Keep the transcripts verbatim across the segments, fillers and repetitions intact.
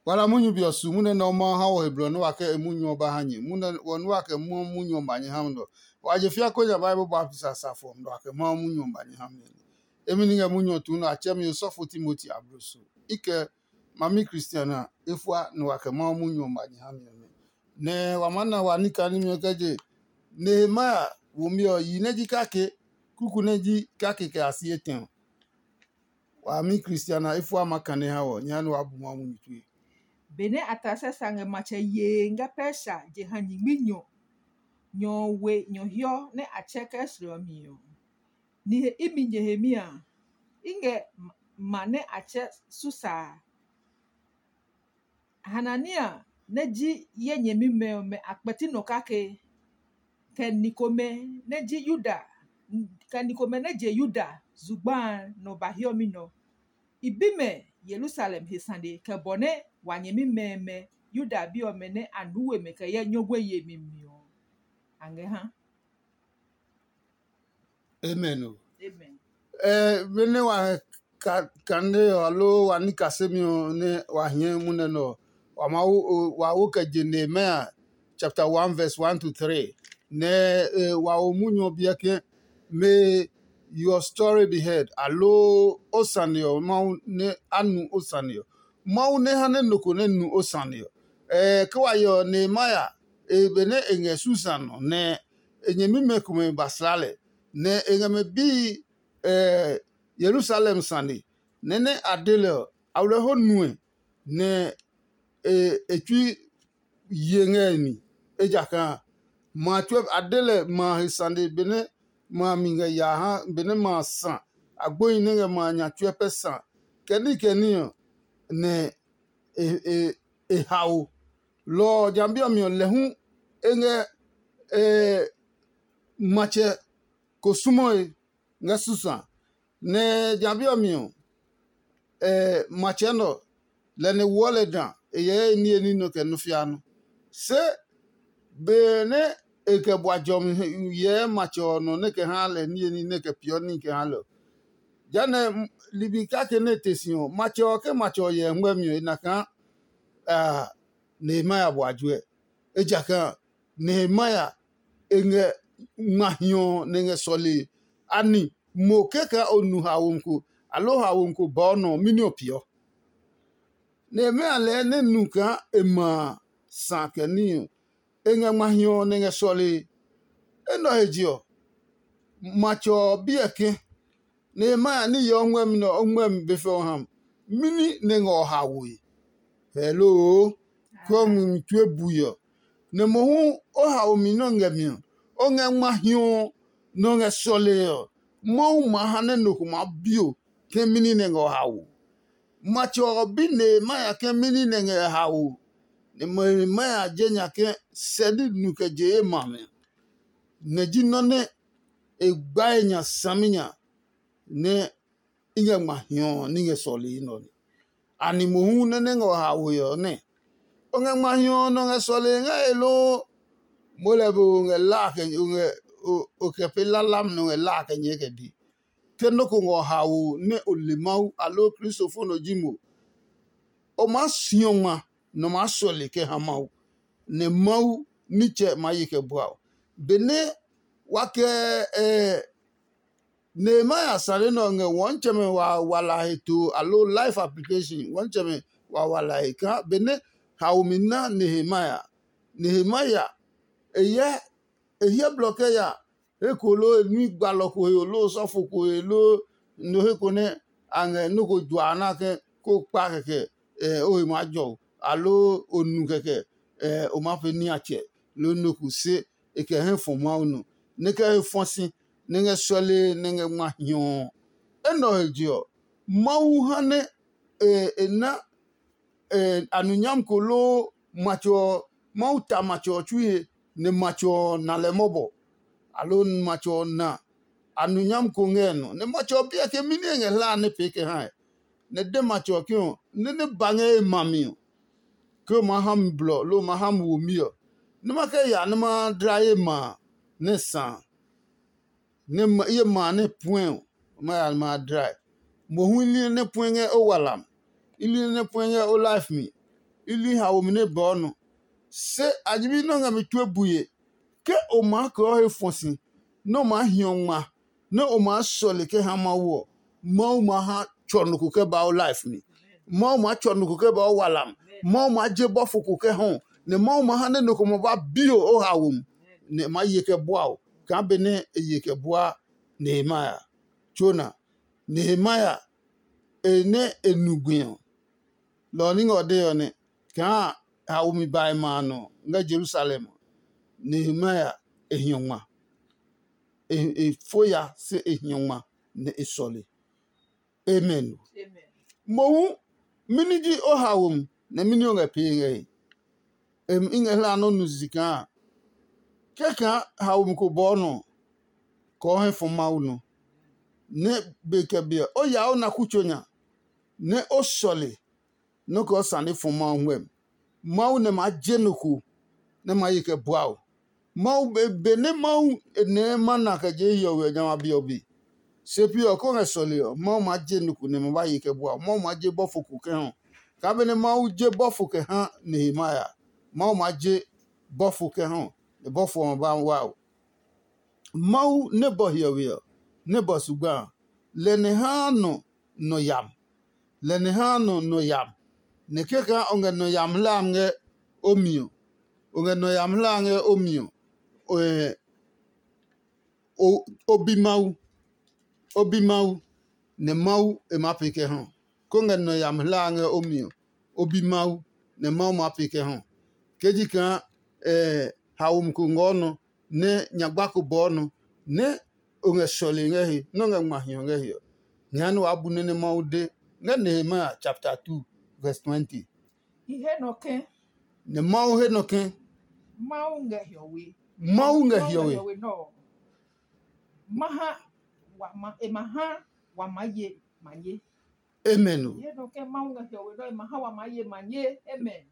Wa na munyu be ɔ su munyu nɛ nɛ ɔ Mawu ha wɔ he blɔ nɛ wa kɛ e munyu ɔ ba ha nyɛ. Munyu nɛ ɔ nɛ wa kɛ muɔ munyu ɔ ba nyɛ ha mi nɛ ɔ, wa je fia konɛ nya Bible baptisi a sa fɔ nɛ wa kɛ Mawu munyu ɔ ba nyɛ ha mi. Emi ni ngɛ munyu ɔ tuu nɛ a tsɛ mi osɔfo Timoti abloso. I kɛ ma mi Kristian a, e fua nɛ wa kɛ Mawu munyu ɔ ba nyɛ ha mi ɔ nɛ. Nɛ wa maa na wa ní kaa nimi ɔ kɛ je Nehemia womi ɔ, yi nɛ ji kake, kuku nɛ ji kake kɛ a si etɛ ɔ. Wa mi Kristian a, e fua ma kane ha wɔ, nyɛ ha nɛ wa bu Mawu munyu tue. Benɛ Artaxerxes ngɛ matsɛ yee ngɛ Persia jeha nyingmi nyɔ nyɔ ɔ we nyɔ hiɔ nɛ a tsɛ kɛ srɛ ɔ mi ɔ, nihe imi nyɛhemi a, i ngɛ ma nɛ a tsɛ Susa a. Hanania nɛ ji ye nyɛmimɛ ɔmɛ a kpɛti nɔ kake, kɛ ni komɛ nɛ ji Yuda, kɛ ni komɛ nɛ je Yuda zugba a nɔ ba hiɔmi nɔ. I bi mɛ Yerusalem he sane kɛ bɔ nɛ wa nyɛmimɛ ɔmɛ Yuda bi ɔmɛ nɛ a nuu we mɛ kɛ hyɛ nyɔguɛ yemi mi ɔ, a ngɛ ha. Amen o. Amen. Eh, benɛ wa ka kane ɔ aloo wa ní kasemi ɔ nɛ wa hiɛ munɛ nɛ ɔ, wa ma wo wa wo kɛ je Nehemia chapter one verse one to three nɛ eh, wa wo munyu ɔ biɛ ke, may your story be heard, aloo o sane ɔ Mawu nɛ a nu o sane ɔ. Mawu nɛ ha nɛ nɔ ko nɛ nu o sane ɔ. Eh, ke wa yɛ ɔ Nehemia e benɛ e ngɛ Susan ɔ nɛ e nyɛmimɛ komɛ ba sla lɛ, nɛ e ngɛ mɛ bii eh, Yerusalem sane. Nɛ nɛ a de lɛ ɔ, a wlɛ ho nue nɛ e e tsui ye ngɛ e mi, ejakaa ma a tsuɛ a de lɛ ma a he sane benɛ ma a mi ngɛ yaa ha benɛ ma a sa, a gbohi nɛ ngɛ ma a nya tsuɛ pɛ sa, kɛ ní kɛ ní ɔ, nɛ e e e hao. Lɔ ɔ jambi ɔ mi ɔ, lɛ hu e ngɛ e matsɛ ko sumɔe ngɛ Susa. Nɛ jambi ɔ mi ɔ, matsɛ nɛ ɔ, lɛ nɛ woɔ lɛ da e yɛɛ e niye ní nɔ kɛ nɔ fia nɔ. Se benɛ e kɛ bua jɔmi yɛɛ matsɛ ɔ nɔ nɛ kɛ haa lɛ niye ní nɛ kɛ peeɔ ní kɛ haa lɛ ɔ, jehanɛ ligbi kake nɛ e te si ɔ, matsɛ ɔ ke matsɛ ɔ hyɛ ngmɛmi ɔ, e na kaa Nehemia bua juɛ. Ejakaa Nehemia e ngɛ ngma hiɔ nɛ e ngɛ sɔlee. Ani mo kɛkaa o nu haomi ko, aloo haomi ko bɔɔ nɔ ɔ, mɛni o peeɔ? Nehemia lɛɛ nɛ nu kaa e ma a sa kɛ níhi ɔ, e ngɛ ngma hiɔ nɛ e ngɛ sɔlee. Enɛ ɔ he je ɔ, matsɛ ɔ bi ɛ ke, Nehemia ní hyɛ o ngmɛmi nɛ o ngmɛmi be fɛ ɔ ha mi, mɛni nɛ ngɛ o haoe? Heloo, kɔmi mi tue bui ɔ, nɛ mohu o haomi nɛ o ngɛ mi ɔ, o ngɛ ngma hiɔ nɛ o ngɛ sɔlee ɔ, Mawu ma ha nɛ nɔ ko maa bi o ke mɛni nɛ ngɛ o hao. Matsɛ ɔ bi Nehemia ke mɛni nɛ ngɛ e hao, nɛ Nehemia je nya ke sɛ ní nu kɛ je ye ma mi, nɛ ji nɔ́ nɛ e gbae nya saminya nɛ i ngɛ ngma hiɔ ɔ ní ngɛ sɔlee nɛ ɔ nɛ. Ani mohu nɛ nɛ ngɛ o haoe ɔ nɛ? O ngɛ ngma hiɔ ɔ nɔ ngɛ sɔlee ngɛ e loo? Mo lɛ be o ngɛ la kɛ o ngɛ o kɛ pee lalam nɔ ngɛ la kɛ nyɛɛ kɛ bi. Ke nɔ́ ko ngɛ o haoe nɛ o le Mawu aloo Kristo fo nɔ ji mo, o maa si ɔ ngma nɛ o maa sɔle kɛ ha Mawu, nɛ Mawu nitsɛ maa ye kɛ bua o. Benɛ wa kɛ Nehemia sane nɛ ɔ ngɛ wɔntsɛmɛ wawalahi to aloo life application wɔntsɛmɛ wawalahi kaa benɛ haomi na Nehemia. Nehemia e hyɛ e hyɛ blɔ kɛ ya he ko loo e nui gbalɔ ko he loo sɔfo ko he loo no he ko nɛ a ngɛ nɔ́ ko jua a na ke ko kpa kɛkɛ o he maa jɔ o aloo o nu kɛkɛ o maa pee niatsɛ loo nɔ ko se e kɛ hɛ fɔ Mawu nɔ, nɛ e kɛ he fɔ si, nɛ e ngɛ sɔlee, nɛ e ngɛ ngma hiɔ ɔ. Enɛ ɔ he je ɔ, Mawu ha nɛ e na anunyam ko loo matsɛ ɔ, Mawu ta matsɛ ɔ tsui he, nɛ matsɛ ɔ na lɛ mɔbɔ, aloo matsɛ ɔ na anunyam ko ngɛ nɔ, nɛ matsɛ ɔ bi lɛ ke mɛni e ngɛ hlaa nɛ pee kɛ hae. Nɛ e de matsɛ ɔ ke ɔ, nɛ nɛ ba ngɛ e ma mi ɔ, ke o maa ha mi blɔ loo o maa ha mi womi ɔ, nɛ ma kɛ ya nɛ ma dla ye ma a, nɛ sa a, nɛ ye ma a nɛ puɛ ɔ, ma ya ma a dlae. Mohu i li nɛ puɛ ngɛ o walam, i li nɛ puɛ ngɛ o life mi. i li haomi nɛ bɔɔ nɔ. Se a ji bi nɛ o ngɛ mi tue bue. Ke o maa kɛɔ he fɔ si, nɛ o maa hiɔ ngma, nɛ o maa sɔle kɛ ha Mawu ɔ, Mawu ma ha tsɔ nɔ ko kɛ ba o life mi. Mawu maa tsɔ nɔ ko kɛ ba o walam. Mawu maa je bɔfo ko kɛ hɔ, nɛ Mawu ma ha nɛ nɔ ko ma ba bio o haomi, nɛ e maa ye kɛ bua o, kaa benɛ e ye kɛ bua Nehemia. Tsona, Nehemia e nɛ e nu gbi ɔ, lɔ ɔ ní ngɛ ɔ dee ɔ nɛ, kaa haomi ba e ma a nɔ ngɛ Yerusalem ɔ, Nehemia e hiɔ ngma. E fo ya se e hiɔ ngma nɛ e sɔle. Amen. Mohu, mɛni ji o haomi, nɛ mɛni o ngɛ pee ngɛ he? I ngɛ hlaa nɔ́ nu sisi kaa kɛkaa haomi ko bɔɔ nɔ kɔɔ hɛ fɔ Mawu nɔ, nɛ be kɛ be ɔ, o yaa o na kutso nya, nɛ o sɔle nɔ́ kɛ o sane fɔ Mawu ngmɛmi. Mawu nɛ maa je nɔ ko nɛ ma ye kɛ bua o. Mawu be benɛ Mawu e nɛɛ mana kɛ je hiɔwe ɔ jamɛ a be ɔ be. Se pi ɔ, kó ngɛ sɔle ɔ, Mawu maa je nɔ ko nɛ ma ba ye kɛ bua o. Mawu maa je bɔfo ko kɛ hɔ. Kaa benɛ Mawu je bɔfo kɛ ha Nehemia, Mawu maa je bɔfo kɛ hɔ, nɛ bɔfo ɔ ma ba wa o. Mawu nɛ bɔ hiɔwe ɔ, nɛ bɔ zugba a, lɛ nɛ haa nɔ nɔ yam. Lɛ nɛ haa nɔ nɔ yam. Nɛ kɛkaa o ngɛ nɔ yam hlaa ngɛ o mi ɔ, o ngɛ nɔ yam hlaa ngɛ o mi ɔ, o, o bi Mawu. O bi Mawu, nɛ Mawu e maa pee kɛ ha o. Kó ngɛ nɔ yam hlaa ngɛ o mi ɔ, o bi Mawu, nɛ Mawu maa pee kɛ ha o. Ke ji kaa haomi ko ngɔɔ nɔ, nɛ nyagba ko bɔɔ nɔ, nɛ o ngɛ sɔle ngɛ he, nɛ o ngɛ ngma hiɔ ngɛ he ɔ, nyɛɛ nɛ waa bu nɛ nɛ Mawu de ngɛ Nehemia chapter two verse twenty. I he nɔ ke. Nɛ Mawu he nɔ ke. Mawu ngɛ hiɔwe. Mawu ngɛ hiɔwe. Nɔ. Ma ha wa ma e ma ha wa ma ye ma ye. Amen o. Ye nɔ ke Mawu ngɛ hiɔwe nɔ, e ma ha wa ma ye ma ye. Amen.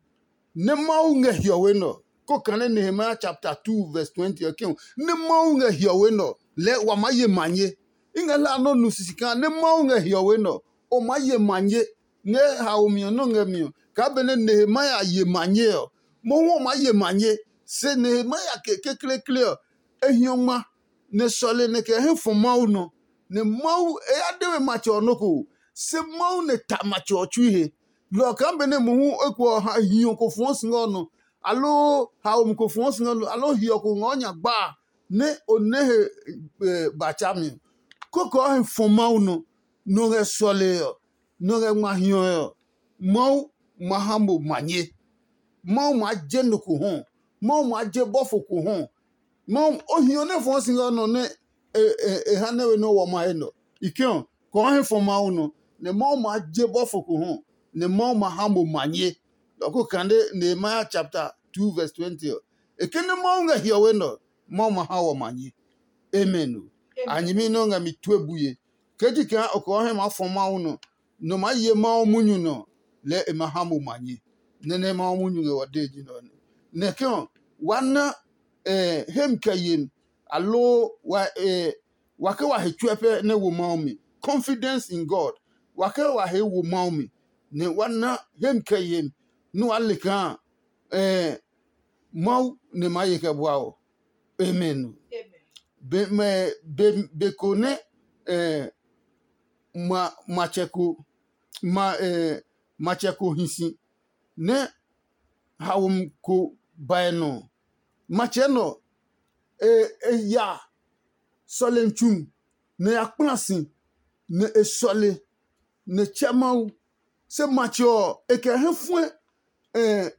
Nɛ Mawu ngɛ hiɔwe nɔ. Ko kane Nehemiah chapter two verse twenty ɔ ke, nɛ Mawu ngɛ hiɔwe nɔ lɛ wa ma ye ma ye. I ngɛ la nɔ nu sisi kaa nɛ Mawu ngɛ hiɔwe nɔ, o ma ye ma ye. Ngɛ haomi ɔ nɔ ngɛ mi ɔ, kaa benɛ Nehemiah ye ma ye ɔ, mohu ɔ ma ye ma ye. Se Nehemiah ke kekleekle ɔ, e hiɔ ngma nɛ sɔle nɛ kɛ hɛ fɔ Mawu nɔ, nɛ Mawu e ya de we matsɛ ɔ nɔ́ ko, se Mawu nɛ ta matsɛ ɔ tsui he. Lɔ ɔ kaa benɛ mohu eko ɔ ha hiɔ ko fɔɔ si ngɛ ɔ nɔ, aloo haomi ko fɔɔ si ngɛ ɔ nɔ, aloo hiɔ ko ngɛ ɔ nya gba a, nɛ o nɛ he ba tsa mi ɔ, kɔkɔɔ he fɔ Mawu nɔ, nɔ ngɛ sɔlee ɔ, nɔ ngɛ ngma hiɔe ɔ, Mawu ma ha mo manye. Mawu maa je nɔ ko hɔ. Mawu maa je bɔfo ko hɔ. Mawu o hiɔ nɛ fɔɔ si ngɛ nɔ nɛ e ha nɛ we nɛ wɔ ma he nɔ. I ke ɔ, kɔɔ he fɔ Mawu nɔ, nɛ Mawu maa je bɔfo ko hɔ, nɛ Mawu ma ha mo manye. Lɔ ko kande Nehemiah chapter two verse twenty ɔ. E ke nɛ Mawu ngɛ hiɔwe nɔ, Mawu ma ha wɔ manye. Amen o. A nyɛmi nɛ o ngɛ mi tue bue. Ke ji kaa o kɔɔ hɛ maa fɔ Mawu nɔ, nɔ maa ye Mawu munyu nɔ, lɛɛ e ma ha mo manye. Nɛ nɛ Mawu munyu ngɛ wɔ dee ji nɛ ɔ nɛ. Nɛ ke ɔ, wa na hemi kɛ yemi, aloo wa ke wa he tsuɛ pɛ nɛ wo Mawu mi. Confidence in God. Wa ke wa he wo Mawu mi, nɛ wa na hemi kɛ yemi nɛ waa le kaa Mawu nɛ maa ye kɛ bua ɔ. Amen. Be, mɛ, be, be ko nɛ eh, ma, matsɛ ko ma, eh, matsɛ ko hi si nɛ haomi ko bae nɔ. Matsɛ nɔ e, e ya sɔlemi tsu nɛ ya kpla si nɛ e sɔle nɛ tsɛ Mawu. Se matsɛ ɔ, e kɛ hɛ fuɛ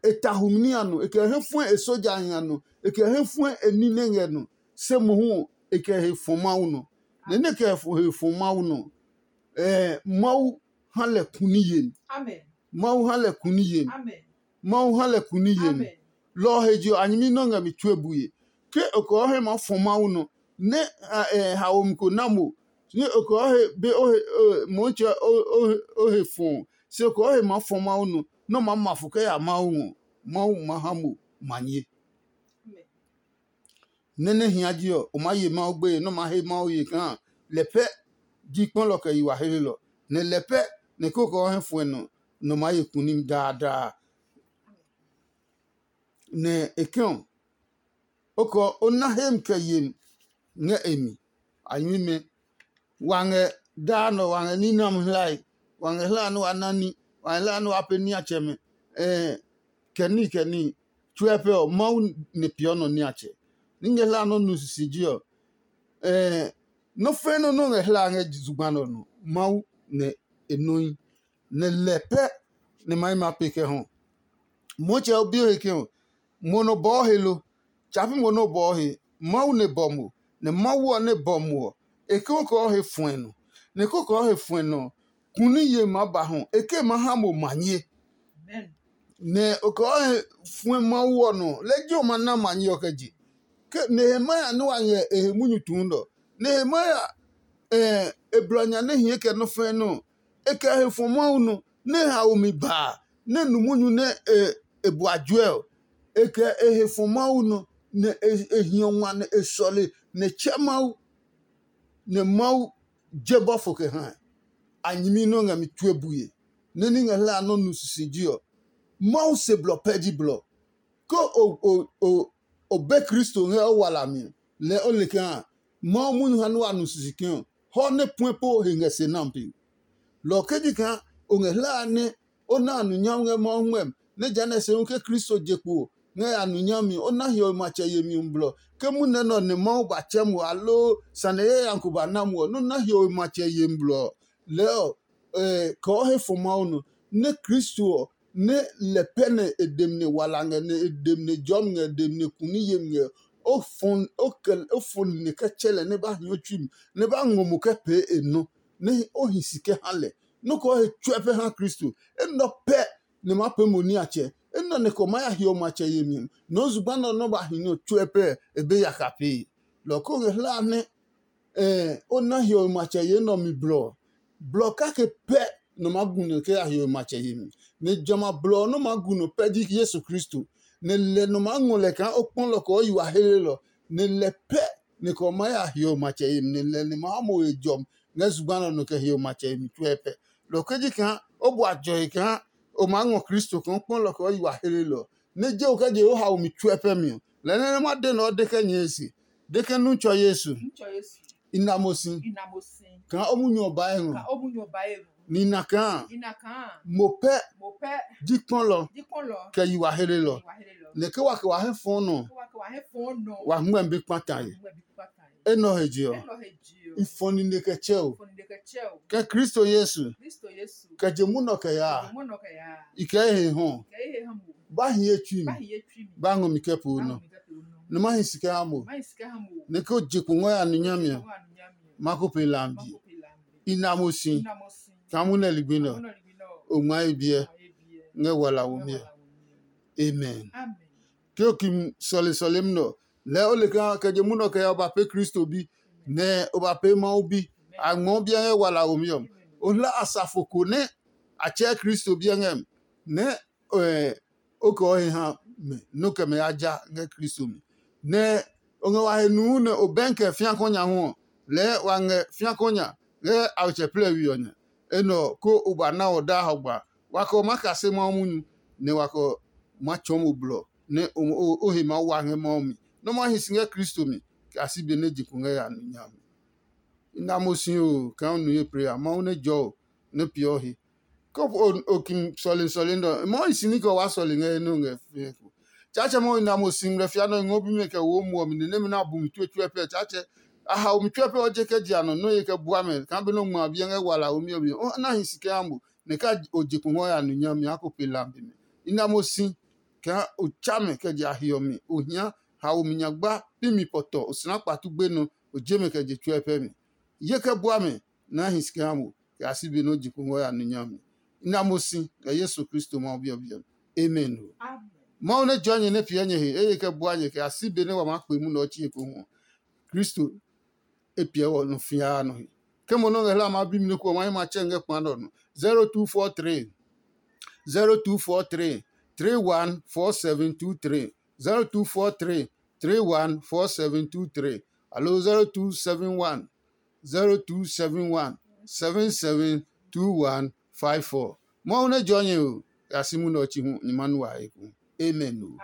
e ta humi ní a nɔ, e kɛ hɛ fuɛ e sojahi a nɔ, e kɛ hɛ fuɛ e ní nɛ ngɛ nɔ. Se mohu ɔ, e kɛ he fɔ Mawu nɔ. Nɛ nɛ kɛ he fɔ Mawu nɔ, Mawu ha lɛ kuni yemi. Mawu ha lɛ kuni yemi. Mawu ha lɛ kuni yemi. Lɔ ɔ he je ɔ, a nyɛmi nɛ o ngɛ mi tue bue. Ke o kɛ o he maa fɔ Mawu nɔ, nɛ haomi ko na mo, nɛ o kɛ o he be o he Motsɛ o he fɔɔ, se o kɛ o he maa fɔ Mawu nɔ, nɛ o maa ma fo kɛ ya Mawu ngɔ, Mawu ma ha mo manye. Nɛ nɛ hia ji ɔ, o maa ye Mawu gbeye nɛ o maa he Mawu ye kaa lɛ pɛ ji kpɔlɔ kɛ yi wa helelɔ, nɛ lɛ pɛ nɛ kókó ɔ hɛ fuɛ nɔ nɔ maa ye kunim daadaa. nɛ e kɛ ɔ, o kɛ o na hem kɛ yem ngɛ e mi. A nyuimɛ, wa ngɛ daa nɔ, wa ngɛ ní nɛ ɔmɛ hlae, wa ngɛ hlaa nɛ wa na ní, wa ngɛ hlaa nɛ wa pee niatsɛmɛ, kɛ níhi kɛ níhi. Tsuɛ pɛ ɔ, Mawu nɛ peeɔ nɔ niatsɛ. Ní ngɛ hlaa nɔ́ nu sisiji ɔ, nɔ́ fɛ̃ nɔ́ nɔ́ ngɛ hlaa ngɛ zugba nɛ ɔ nɔ, Mawu nɛ e nɔ́ yi, nɛ lɛ pɛ nɛ ma yi ma pee kɛ hɔ. Motsɛ ɔ bi o he ke ɔ, mo nɔ bɔɔ he lo? Tsa pi mo nɛ o bɔɔ he. Mawu nɛ bɔ mo, nɛ Mawu ɔ nɛ bɔ mo ɔ, e ke o kɔɔ he fuɛ nɔ. Nɛ e ko kɔɔ he fuɛ nɔ ɔ, ku ní ye maa ba hɔ, e ke ma ha mo manye. Nɛ o kɔɔ he fuɛ Mawu ɔ nɔ, lɛ ji o ma na manye ɔ kɛ je. Ke Nehemia nɛ wa ngɛ e he munyu tuu nɛ ɔ, Nehemia e blɔ nya nɛ hie kɛ nɔ́ fɛ̃ nɛ ɔ, e kɛ he fɔ Mawu nɔ, nɛ e hao mi baa, nɛ e nu munyu nɛ e bua juɛ ɔ, e kɛ e he fɔ Mawu nɔ, nɛ e hiɔ ngua nɛ e sɔle, nɛ e tsɛ Mawu, nɛ Mawu je bɔfo kɛ hae. A nyɛmi nɛ o ngɛ mi tue bue, nɛ ní ngɛ hlaa nɔ́ nu sisiji ɔ, Mawu se blɔ pɛ ji blɔ. Ke o o o o be Kristo ngɛ o walami ɔ, lɛɛ o le kaa Mawu munyu ha nɛ wa nu sisi ke ɔ, hɔ nɛ puɛ po he ngɛ se nami pe. Lɔ ɔ ke ji kaa o ngɛ hlaa nɛ o na a nu nyami ngɛ Mawu ngmɛmi, nɛ jehanɛ se hu ke Kristo je kpo ɔ ngɛ ya nu nyami, o na hiɔwe matsɛ yemi ɔ blɔ. Ke munɛ nɛ ɔ nɛ Mawu ba tsɛ mo, aloo sane yayami ko ba na mo ɔ, nɛ o na hiɔwe matsɛ yemi blɔ ɔ, lɛɛ ɔ, kɛ o he fɔ Mawu nɔ, nɛ Kristo ɔ, nɛ lɛ pɛ nɛ e dem nɛ wala ngɛ, nɛ e dem nɛ jɔmi ngɛ, e dem nɛ kuni yemi ngɛ, o fɔ o kɛ o fɔ nine kɛ tsɛ lɛ nɛ ba hi o tsui mi, nɛ ba ngɔ mo kɛ pee e nɔ, nɛ o hi si kɛ ha lɛ. Nɔ́ kɛ o he tsuɛ pɛ ha Kristo. Enɛ ɔ pɛ nɛ ma pee mo niatsɛ. Enɛ ɔ nɛ kɛ o maa ya hiɔ matsɛ yemi ɔ, nɛ o zugba nɛ ɔ nɔ́ ba hi nɛ ɔ tsuɛ pɛ e be yaka pee. Lɔ ɔ kɛ o ngɛ hlaa nɛ o na hiɔwe matsɛ yee nɛ ɔ mi blɔ ɔ, blɔ kake pɛ nɔ maa gu nɔ kɛ ya hiɔwe matsɛ yemi. Nɛ jamɛ a blɔ ɔ nɔ́ maa gu nɔ pɛ ji Yesu Kristo. Nɛ lɛ nɔ maa ngɔ lɛ kaa o kpɔ lɔ kɛ o yi wa helelɔ. Nɛ lɛ pɛ nɛ kɛ o maa ya hiɔwe matsɛ yemi, nɛ lɛ nɛ maa ha mo he jɔmi ngɛ zugba nɛ ɔ nɔ kɛ hiɔwe matsɛ yemi tsuɛ pɛ. Lɔ ɔ ke ji kaa o bua jɔe kaa o maa ngɔ Kristo kaa o kpɔ lɔ kɛ o yi wa helelɔ. Nɛ je o kɛ je o haomi tsuɛ pɛ mi ɔ, lɛ nɛ nɛ ma de nɛ o de kɛ nyɛɛ se, de ke nu tsɔ Yesu. I na mo si. Kaa o munyu ɔ ba e ngɔ. Ni na kaa mo pɛ ji kpɔlɔ kɛ yi wa helelɔ. Nɛ ke wa kɛ wa hɛ fɔɔ nɔ, wa hngmɛ bi kpata ye. Enɛ ɔ he je ɔ, i fɔ nine kɛ tsɛ o. Kɛ Kristo Yesu kɛ je munɔ kɛ yaa, i kɛ ye he hɔ. Ba hi ye tsui mi, ba ngɔ mi kɛ poo nɔ. Nɛ ma hi si kɛ ha mo. Nɛ ke o je kpo ngɔ ya nu nyami ɔ, ma ko pe lambi. I na mo si kaa mu nɛ ligbi nɛ ɔ, o ngma ye biɛ ngɛ wala womi ɔ. Amen. Ke o ki sɔle sɔlemi nɛ ɔ, lɛɛ o le kaa kɛ je munɔ kɛ ya o ba pee Kristo bi, nɛ o ba pee Mawu bi. A ngmɔɔ biɛ ngɛ wala womi ɔ. O hla asafo ko nɛ a tsɛɛ Kristo biɛ ngɛ mi, nɛ o kɛ o he ha mɛ nɛ o kɛ mɛ ya ja ngɛ Kristo mi. Nɛ o ngɛ wa he nuu nɛ o bɛnkɛ fiakɔ nya hu ɔ, lɛɛ wa ngɛ fiakɔ nya ngɛ awetsɛ plɛwi ɔ nya. Enɛ ɔ, ko o ba na ɔ daa hɔgba, wa kɛ o maa kase Mawu munyu, nɛ wa kɛ o maa tsɔɔ mo blɔ, nɛ o he maa wa ngɛ Mawu mi, nɛ o maa hi si ngɛ Kristo mi, kɛ a si be nɛ je kpo ngɛ ya nu nya mi. I na mo si oo, kaa o nu ye pre a, Mawu nɛ jɔ o, nɛ peeɔ he. Ke o ki sɔle sɔle nɛ ɔ, Mawu hi si ní kɛ o waa sɔle ngɛ he nɛ o ngɛ fɛɛ ko. Tsaatsɛ Mawu, i na mo si ngmlɛ fia nɛ o ngɔ bimɛ kɛ wo muɔ mi, ni nɛmɛ nɛ a bu mi tue tsuɛ pɛ. Tsaatsɛ, a hao mi tsuɛ pɛ ɔ je kɛ je a nɔ nɔ́ ye kɛ bua mɛ kaa be nɔ ngma a biɛ ngɛ wala womi ɔ mi ɔ, na hi si kɛ ha mo, nɛ ka o je kungɔ ya nu nya mi a ko pe lambi mɛ. I na mo si kaa o tsa mɛ kɛ je a hiɔ mi, o hia hao mi nyagba pi mi pɔtɔ, o sina kpatu gbenɔ, o je mɛ kɛ je tsuɛ pɛ mi. Ye kɛ bua mɛ nɛ a hi si kɛ ha mo, kɛ a si be nɛ o je kungɔ ya nu nya mi. I na mo si kɛ Yesu Kristo Mawu biɔbiɔ mi. Amen. Mawu nɛ jɔɔ nyɛ nɛ piɛ nyɛ he eye kɛ bua nyɛ kɛ a si be nɛ wa maa kpe munɛ ɔ tsii ekohu ɔ, Kristo e piɛ wɔ nɔ fĩa nɔ he. Ke mo nɔ́ ngɛ hla maa bi mi nɔ́ ko ɔ, ma hɛ ma tsɛ ngɛ kpa nɛ ɔ nɔ. Zero two four three, zero two four three, three one four seven two three, zero two four three, three one four seven two three, alo zero two seven one, zero two seven one, seven seven two one five four. Mawu nɛ jɔ nyɛ o, ya si munɛ ɔ tsi hu nyɛ ma nu wa he ku. Amen o.